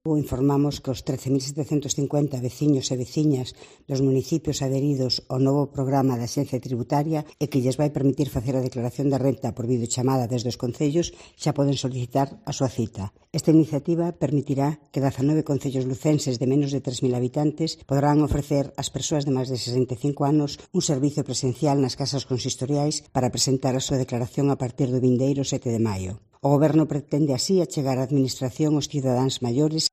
Informamos que os 13.750 veciños e veciñas dos municipios adheridos ao novo programa da Axencia Tributaria e que lles vai permitir facer a declaración de renta por videochamada desde os concellos xa poden solicitar a súa cita. Esta iniciativa permitirá que 19 concellos lucenses de menos de 3.000 habitantes poderán ofrecer ás persoas de máis de 65 anos un servizo presencial nas casas consistoriais para presentar a súa declaración a partir do vindeiro 7 de maio. O Goberno pretende así achegar a Administración aos cidadáns maiores